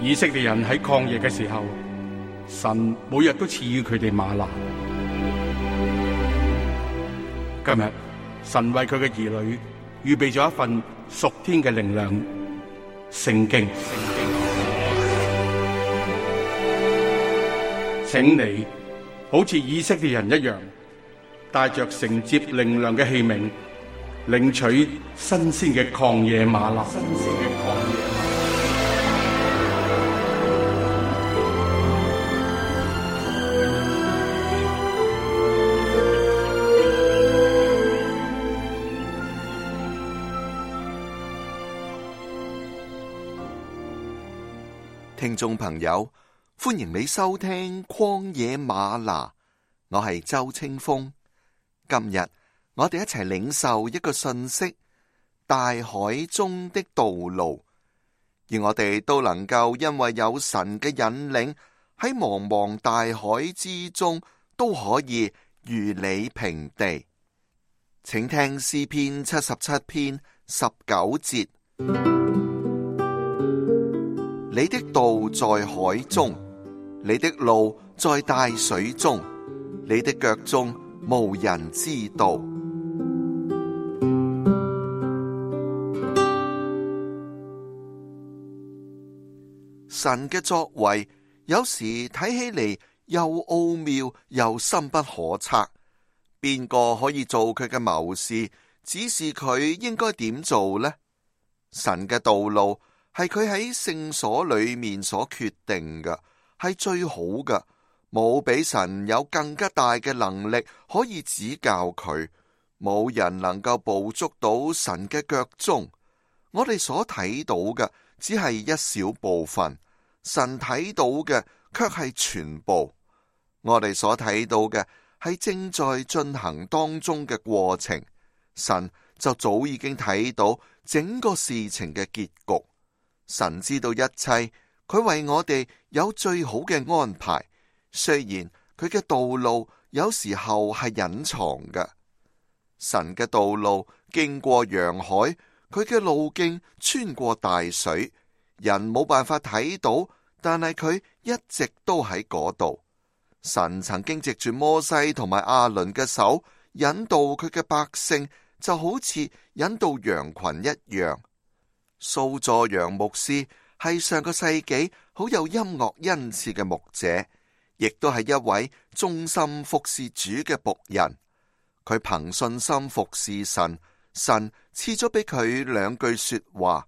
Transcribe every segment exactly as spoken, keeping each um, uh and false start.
以色列人喺曠野嘅時候，神每日都賜予佢哋嗎哪。今日神為佢嘅兒女預備咗一份屬天嘅靈糧——聖經。請你好似以色列人一樣，帶着承接靈糧嘅器皿，領取新鮮嘅曠野嗎哪。新鮮嘅曠野嗎哪。聽眾朋友，歡迎你收聽曠野嗎哪，我係周清風。今日我哋一齊領受一個信息：大海中的道路，而我哋都能夠因為有神嘅引領，喺茫茫大海之中都可以如履平地。請聽詩篇七十七篇十九節。你的道在海中，你的路在大水中，你的腳蹤無人知道。神嘅作為有時睇起嚟又奧妙又深不可測，邊個可以做佢嘅謀士，指示佢應該點做呢？神嘅道路係佢喺聖所裏面所決定嘅，係最好嘅，冇比神有更加大嘅能力可以指教佢，冇人能夠捕捉到神嘅腳蹤。我哋所睇到嘅只係一小部分，神睇到嘅卻係全部。我哋所睇到嘅係正在進行當中嘅過程，神就早已經睇到整個事情嘅結局。神知道一切，佢為我哋有最好嘅安排。雖然佢嘅道路有時候係隱藏嘅，神嘅道路經過洋海，佢嘅路徑穿過大水，人冇辦法睇到，但係佢一直都喺嗰度。神曾經藉住摩西同埋亞倫嘅手引導佢嘅百姓，就好似引導羊群一樣。蘇佐揚牧師係上個世紀好有音樂恩賜嘅牧者，亦都係一位忠心服侍主嘅僕人。佢憑信心服侍神，神賜咗俾佢兩句說話：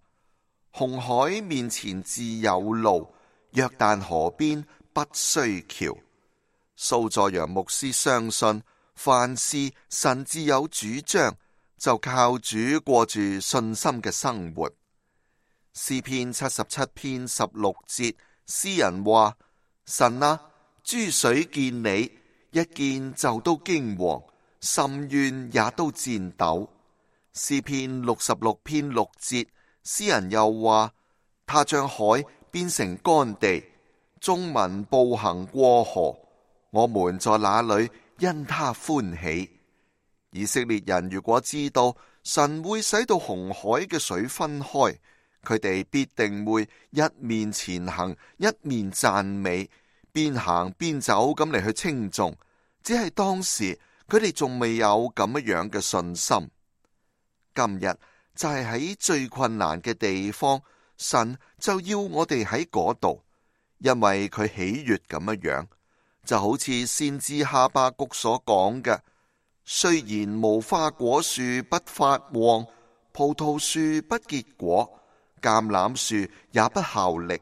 紅海面前自有路，約旦河邊不需橋。蘇佐揚牧師相信，凡事神自有主張，就靠主過住信心嘅生活。詩篇七十七篇十六節，詩人話：神啊，諸水見你，一見就都驚惶，深淵也都顫抖。詩篇六十六篇六節，詩人又話：他將海變成乾地，眾民步行過河，我們在那裏因他歡喜。以色列人如果知道神會使到紅海嘅水分開，佢哋必定會一面前行，一面讚美，邊行邊走咁嚟去稱頌。只係當時佢哋仲未有咁樣嘅信心。今日就係喺最困難嘅地方，神就要我哋喺嗰度，因為佢喜悅咁樣，就好似先知哈巴谷所講嘅：雖然無花果樹不發旺，葡萄樹不結果，橄欖樹也不效力，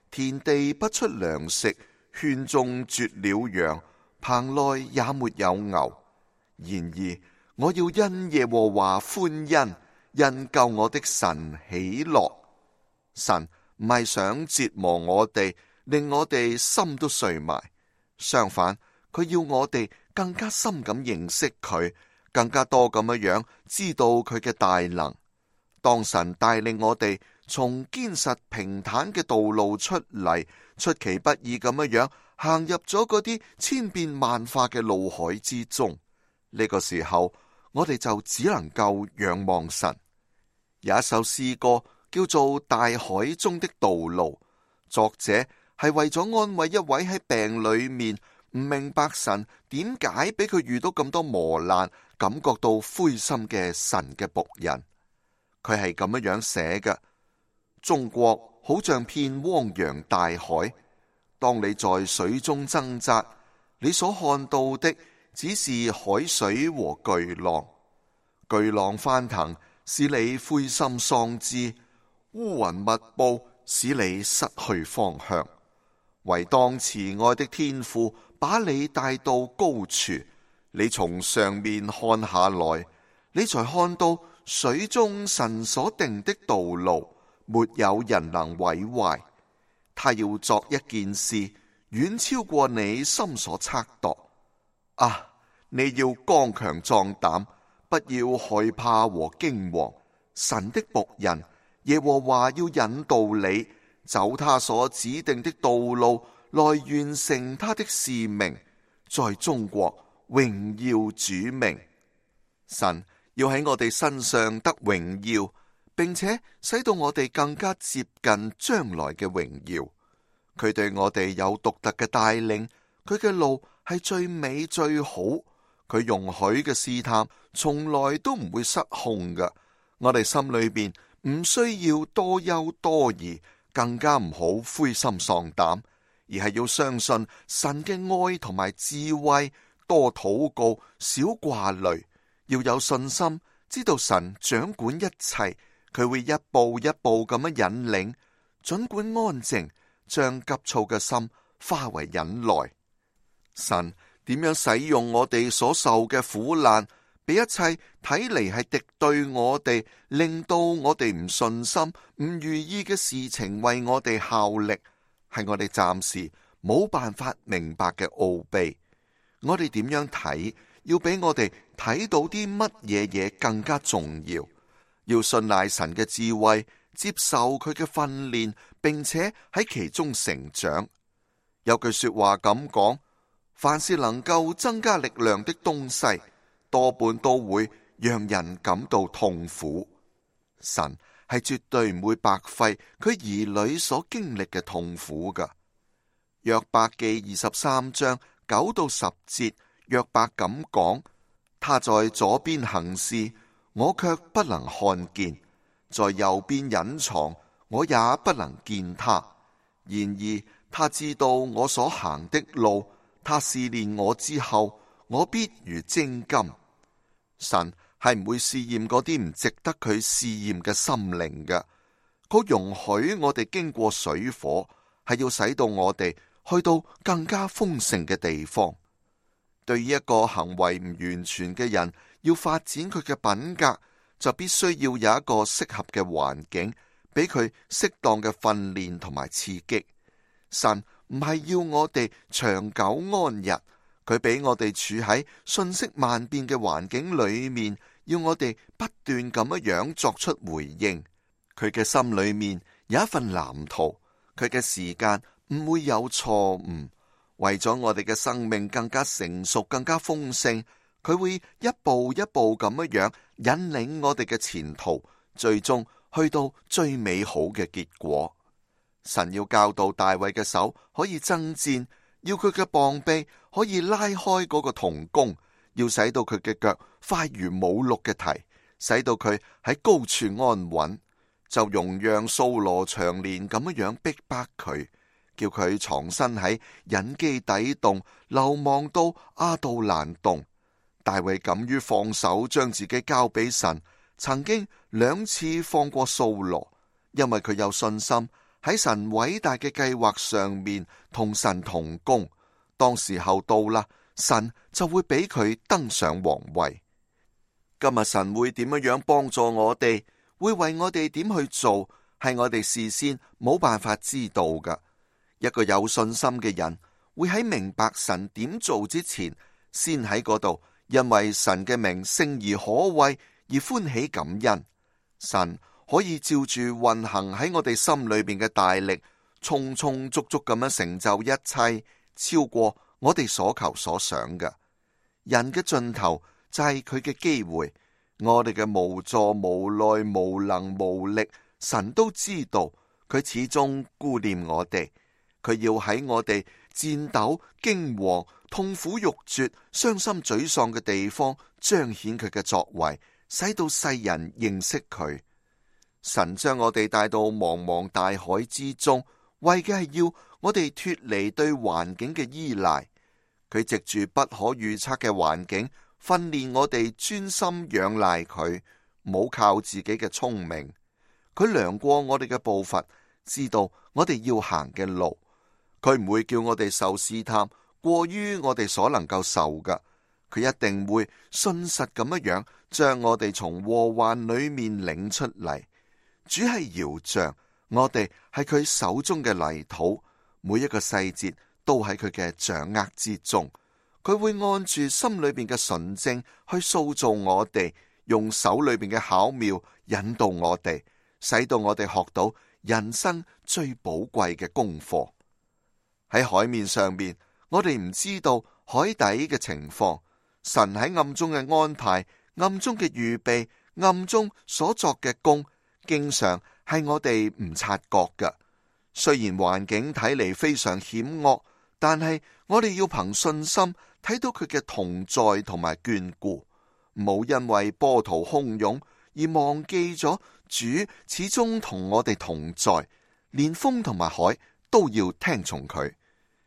田地不出糧食，圈中絕了羊，棚內也沒有牛。然而我要因耶和華歡欣，因救我的神喜樂。神唔係想折磨我哋，令我哋心都碎埋。相反，佢要我哋更加深咁認識佢，更加多咁樣知道佢嘅大能。當神帶領我哋從堅實平坦嘅道路出嚟，出其不意咁樣行入咗嗰啲千變萬化嘅路海之中，呢個時候我哋就只能夠仰望神。有一首詩歌叫做《大海中的道路》，作者係為咗安慰一位喺病裏面唔明白神點解俾佢遇到咁多磨難，感覺到灰心嘅神嘅僕人。佢係咁樣樣寫嘅：中國好像片汪洋大海，當你在水中掙扎，你所看到的只是海水和巨浪。巨浪翻騰，使你灰心喪志；烏雲密布，使你失去方向。唯當慈愛的天父把你帶到高處，你從上面看下來，你才看到水中神所定的道路，沒有人能毀壞。他要作一件事，遠超過你心所測度。啊！你要剛強壯膽，不要害怕和驚惶。神的僕人耶和華要引導你走他所指定的道路，來完成他的使命，在中國榮耀主名。神要喺我哋身上得榮耀，並且使到我哋更加接近將來嘅榮耀。佢對我哋有獨特嘅帶領，佢嘅路係最美最好。佢容許嘅試探從來都唔會失控㗎。我哋心裏邊唔需要多憂多疑，更加唔好灰心喪膽，而係要相信神嘅愛同埋智慧，多禱告，少掛慮，要有信心，知道神掌管一切，佢會一步一步咁樣引領，盡管安靜，將急躁嘅心化為忍耐。神點樣使用我哋所受嘅苦難，俾一切睇嚟係敵對我哋，令到我哋唔順心、唔如意嘅事情為我哋效力，係我哋暫時冇辦法明白嘅奧秘。我哋點樣睇，要比我哋睇到啲乜嘢嘢更加重要。要信賴神嘅智慧，接受佢嘅訓練，並且喺其中成長。有句說話咁講：凡是能夠增加力量的東西，多半都會讓人感到痛苦。神係絕對唔會白費佢兒女所經歷嘅痛苦噶。約伯記二十三章九到十節，約伯咁講：他在左邊行事，我卻不能看見；在右邊隱藏，我也不能見他。然而他知道我所行的路，他試煉我之後，我必如精金。神係唔會試驗嗰啲唔值得佢試驗嘅心靈嘅，佢容許我哋經過水火，係要使到我哋去到更加豐盛嘅地方。對於一個行為唔完全嘅人，要發展佢嘅品格，就必須要有一個適合嘅環境，俾佢適當嘅訓練同埋刺激。神唔係要我哋長久安逸，佢俾我哋處喺瞬息萬變嘅環境裏面，要我哋不斷咁樣作出回應。佢嘅心裏面有一份藍圖，佢嘅時間唔會有錯誤。為咗我哋嘅生命更加成熟、更加豐盛，佢會一步一步咁樣引領我哋嘅前途，最終去到最美好嘅結果。神要教導大衛嘅手可以爭戰，要佢嘅膀臂可以拉開嗰個銅弓，要使到佢嘅腳快如母鹿嘅蹄，使到佢喺高處安穩，就容讓掃羅長年咁樣逼迫佢，叫佢藏身喺隱基底洞，流亡到亞杜蘭洞。大衛敢於放手，將自己交俾神，曾經兩次放過掃羅，因為佢有信心喺神偉大嘅計劃上面同神同工。當時候到啦，神就會俾佢登上皇位。今日神會點樣樣幫助我哋，會為我哋點去做，係我哋事先冇辦法知道噶。一個有信心嘅人會喺明白神點做之前，先喺嗰度因為神嘅名聖而可畏而歡喜感恩。神可以照住運行喺我哋心裏邊嘅大力，充充足足咁樣成就一切，超過我哋所求所想嘅。人嘅盡頭就係佢嘅機會，我哋嘅無助、無奈、無能、無力，神都知道，佢始終顧念我哋，佢要喺我哋顫抖、驚惶、痛苦欲絕、傷心沮喪嘅地方彰顯佢嘅作為，使到世人認識佢。神將我哋帶到茫茫大海之中，為嘅係要我哋脫離對環境嘅依賴。佢藉住不可預測嘅環境，訓練我哋專心仰賴佢，唔好靠自己嘅聰明。佢量過我哋嘅步伐，知道我哋要行嘅路。佢唔會叫我哋受試探過於我哋所能夠受㗎。佢一定會信實咁樣樣將我哋從禍患裏面領出嚟。主係窯匠，我哋係佢手中嘅泥土，每一個細節都喺佢嘅掌握之中。佢會按住心裏邊嘅純正去塑造我哋，用手裏邊嘅巧妙引導我哋，使到我哋學到人生最寶貴嘅功課。喺海面上面，我哋唔知道海底嘅情況，神喺暗中嘅安排、暗中嘅預備、暗中所作嘅工，經常係我哋唔察覺嘅。雖然環境睇嚟非常險惡，但係我哋要憑信心睇到佢嘅同在同埋眷顧，冇因為波濤洶湧而忘記咗主始終同我哋同在，連風同埋海都要聽從佢。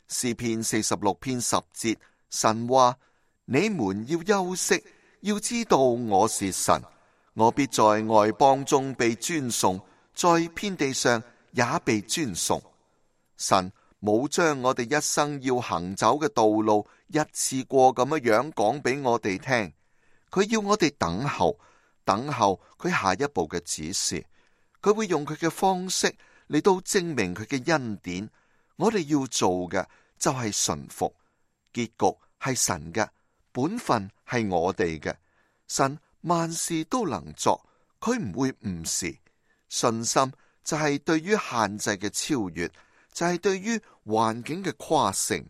詩篇四十六篇十節，神話：你們要休息，要知道我是神，我必在外邦中被尊崇，在遍地上也被尊崇。神冇將我哋一生要行走嘅道路一次過咁樣樣講俾我哋聽，佢要我哋等候，等候佢下一步嘅指示。佢會用佢嘅方式嚟到證明佢嘅恩典。我哋要做嘅就係順服，結局係神嘅，本分係我哋嘅。神萬事都能作，佢唔會誤事。信心就係對於限制嘅超越，就係對於環境嘅誇勝。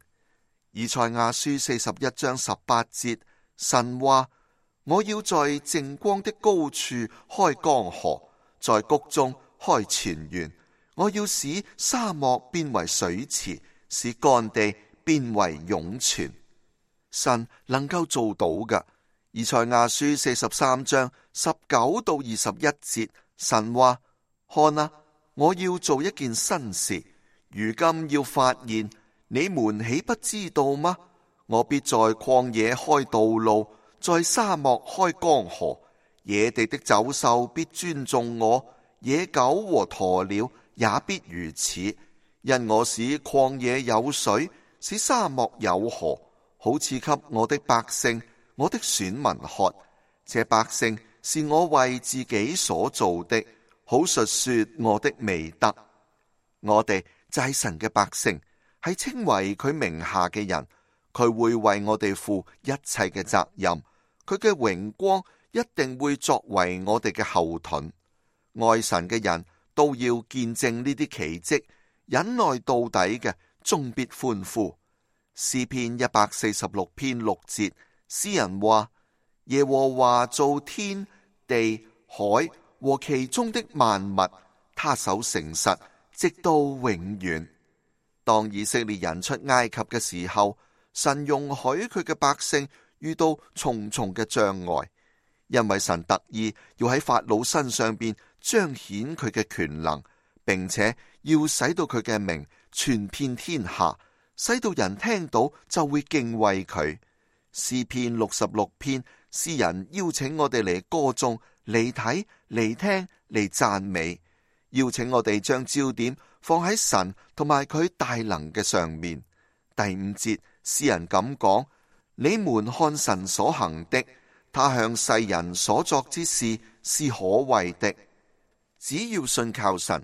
以賽亞書四十一章十八節，神話：我要在淨光的高處開江河，在谷中開泉源。我要使沙漠變為水池，使乾地變為湧泉。神能夠做到嘅。以賽亞書四十三章十九到二十一節，神話：看啊，我要做一件新事，如今要發現，你們豈不知道嗎？我必在曠野開道路，在沙漠開江河，野地的走獸必尊重我，野狗和鴕鳥也必如此，因我使曠野有水，使沙漠有河，好賜給我的百姓，我的選民喝。這百姓是我為自己所造的，好述說我的美德。我哋就係神嘅百姓，係稱為佢名下嘅人，佢會為我哋負一切嘅責任，佢嘅榮光一定會作為我哋嘅後盾。愛神嘅人都要見證呢啲奇蹟，忍耐到底嘅終必歡呼。詩篇一百四十六篇六節，詩人話：耶和華造天地海和其中的萬物，他手誠實，直到永遠。當以色列人出埃及嘅時候，神容許佢嘅百姓遇到重重嘅障礙，因為神特意要喺法老身上邊彰顯佢嘅權能，並且要使到佢嘅名傳遍天下，使到人聽到就會敬畏佢。詩篇六十六篇，詩人邀請我哋嚟歌頌、嚟睇、嚟聽、嚟讚美，邀請我哋將焦點放喺神同埋佢大能嘅上面。第五節，詩人咁講：你們看神所行的，他向世人所作之事是可畏的。只要信靠神，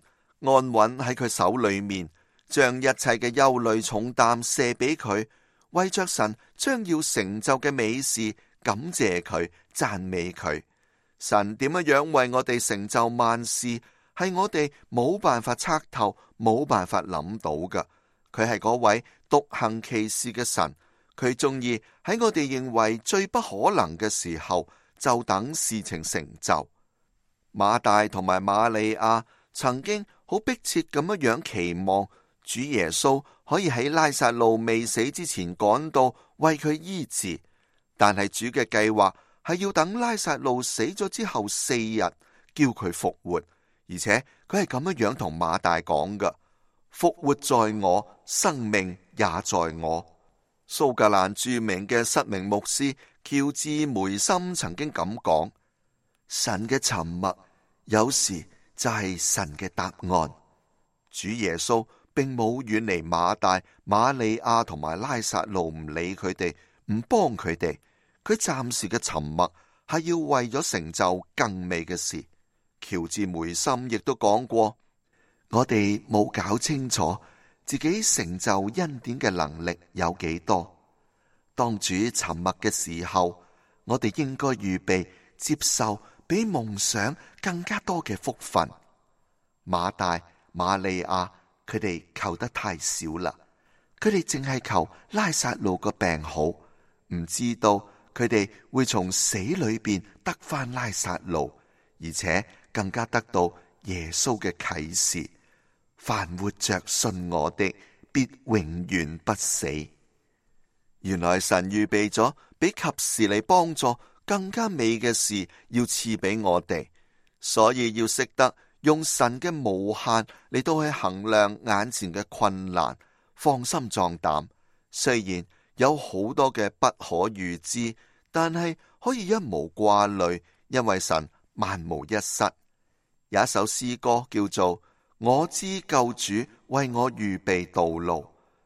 安穩喺佢手裏面，將一切嘅憂慮重擔卸俾佢，為着神將要成就嘅美事，感謝佢，讚美佢。神點樣樣為我哋成就萬事，係我哋冇辦法測透，冇辦法諗到㗎。佢係嗰位獨行其事嘅神，佢中意喺我哋認為最不可能嘅時候，就等事情成就。馬大同埋瑪利亞曾經好迫切咁樣樣期望主耶穌可以喺拉撒路未死之前趕到為佢醫治，但係主嘅計劃係要等拉撒路死咗之後四日叫佢復活，而且佢係咁樣樣同馬大講㗎：復活在我，生命也在我。蘇格蘭著名嘅失明牧師喬治梅森曾經咁講：神嘅沉默有時就係神嘅答案。主耶穌並冇遠離馬大、瑪利亞同埋拉撒路，唔理佢哋，唔幫佢哋。佢暫時嘅沉默係要為咗成就更美嘅事。喬治梅森亦都講過：我哋冇搞清楚自己成就恩典嘅能力有幾多。當主沉默嘅時候，我哋應該預備接受比夢想更加多嘅福分。馬大、瑪利亞佢哋求得太少啦，佢哋淨係求拉撒路個病好，唔知道佢哋會從死裏邊得返拉撒路，而且更加得到耶穌嘅啟示：凡活着信我的，必永遠不死。原來神預備咗比及時嚟幫助更加美嘅事要賜俾我哋，所以要識得用神嘅無限嚟到去衡量眼前嘅困難，放心壯膽。雖然有好多嘅不可預知，但係可以一無掛慮，因為神萬無一失。有一首詩歌叫做《我知救主為我預備道路》，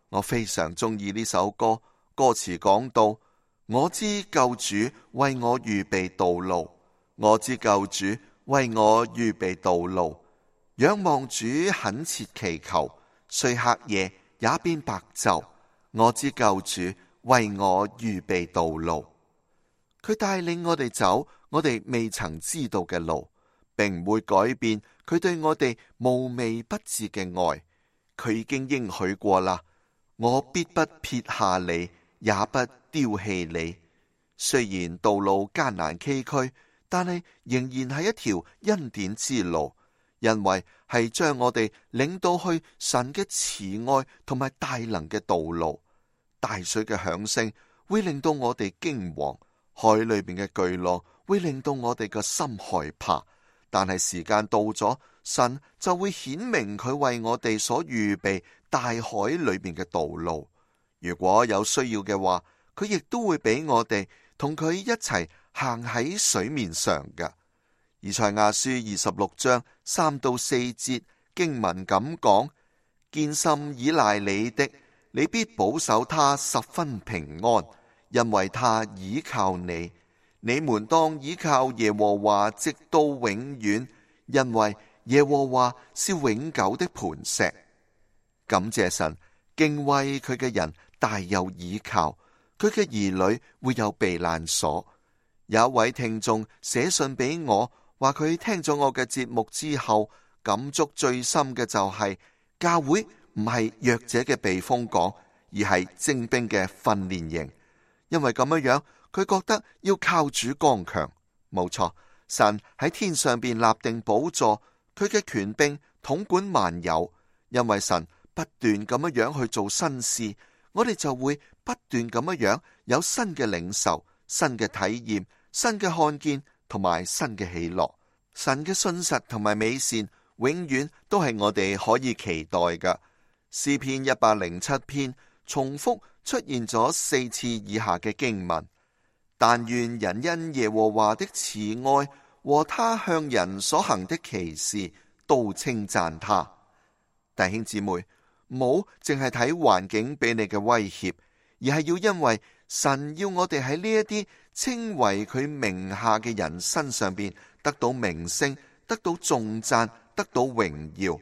我非常中意呢首歌。歌詞講到：我知救主為我預備道路，我知救主為我預備道路，仰望主懇切祈求，雖黑夜也變白晝，我知救主為我預備道路。佢帶領我哋走我哋未曾知道嘅路，並唔會改變佢對我哋無微不至嘅愛。佢已經應許過啦，我必不撇下你，也不丟棄你。雖然道路艱難崎嶇，但係仍然係一條恩典之路，因為係將我哋領到去神嘅慈愛同埋大能嘅道路。大水嘅響聲會令到我哋驚惶，海裏邊嘅巨浪會令到我哋個心害怕。但係時間到咗，神就會顯明佢為我哋所預備大海裏邊嘅道路。如果有需要嘅話，佢亦都會俾我哋同佢一齊行喺水面上嘅。以賽亞書二十六章三到四節經文咁講：堅心倚賴你的，你必保守他十分平安，因為他倚靠你。你們當倚靠耶和華直到永遠，因為耶和華是永久的磐石。感謝神，敬畏佢嘅人大有倚靠，佢嘅兒女會有避難所。有一位聽眾寫信俾我，話佢聽咗我嘅節目之後，感觸最深嘅就係、是、教會唔係弱者嘅避風港，而係精兵嘅訓練營。因為咁樣樣，佢覺得要靠主剛強。冇錯，神喺天上邊立定寶座，佢嘅權柄統管萬有。因為神不斷咁樣樣去做新事，我哋就會不斷咁樣樣有新嘅領受、新嘅體驗、新嘅看見同埋新嘅喜樂。神嘅信實同埋美善永遠都係我哋可以期待嘅。詩篇一百零七篇重複出現咗四次以下嘅經文：但願人因耶和華的慈愛和他向人所行的奇事都稱讚他。弟兄姊妹，唔好淨係睇環境俾你嘅威脅，而係要因為神要我哋喺呢一啲稱為佢名下嘅人身上邊得到名聲、得到頌讚、得到榮耀。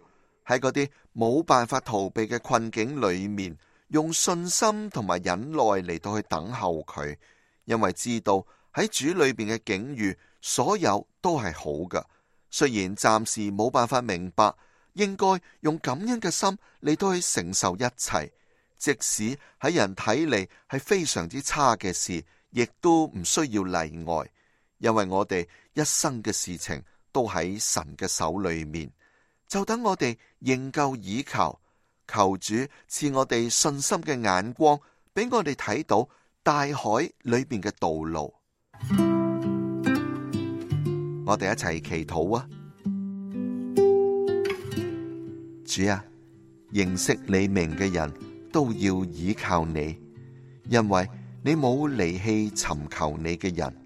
喺嗰啲冇辦法逃避嘅困境裏面，用信心同埋忍耐嚟到去等候佢，因為知道喺主裏邊嘅境遇，所有都係好嘅。雖然暫時冇辦法明白，應該用感恩嘅心嚟到去承受一切，即使喺人睇嚟係非常之差嘅事，亦都唔需要例外，因為我哋一生嘅事情都喺神嘅手裏面。就等我哋仍舊倚靠，求主賜我哋信心嘅眼光，俾我哋睇到大海裏面嘅道路。我哋一齊祈禱啊！主啊，認識你名嘅人都要倚靠你，因為你冇離棄尋求你嘅人。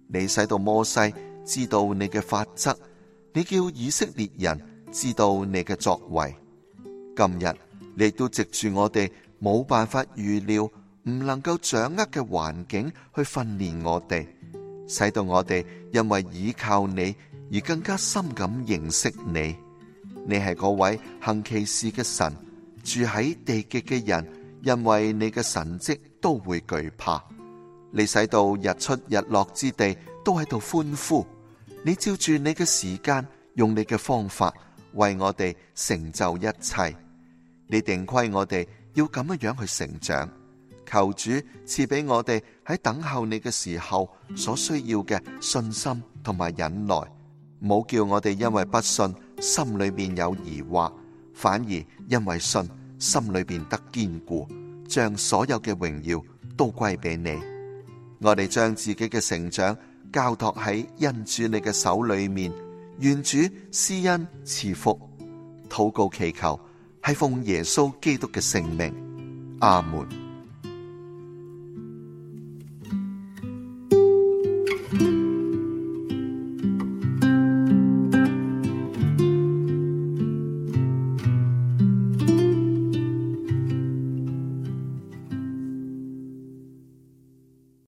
你使到摩西知道你嘅法則，你叫以色列人知道你嘅作為。今日你都藉住我哋冇辦法預料、唔能夠掌握嘅環境去訓練我哋，使到我哋因為倚靠你而更加深咁認識你。你係嗰位行奇事嘅神，住喺地極嘅人，因為你嘅神蹟都會懼怕。你使到日出日落之地都喺度歡呼。你照住你嘅時間，用你嘅方法為我哋成就一切。你定規我哋要咁樣樣去成長。求主賜俾我哋喺等候你嘅時候所需要嘅信心同埋忍耐，唔好叫我哋因為不信心裏面有疑惑，反而因為信心裏面得堅固，將所有嘅榮耀都歸俾你。我哋將自己嘅成長交託喺恩主你嘅手裏面，願主施恩賜福。禱告祈求係奉耶穌基督嘅聖名，阿門。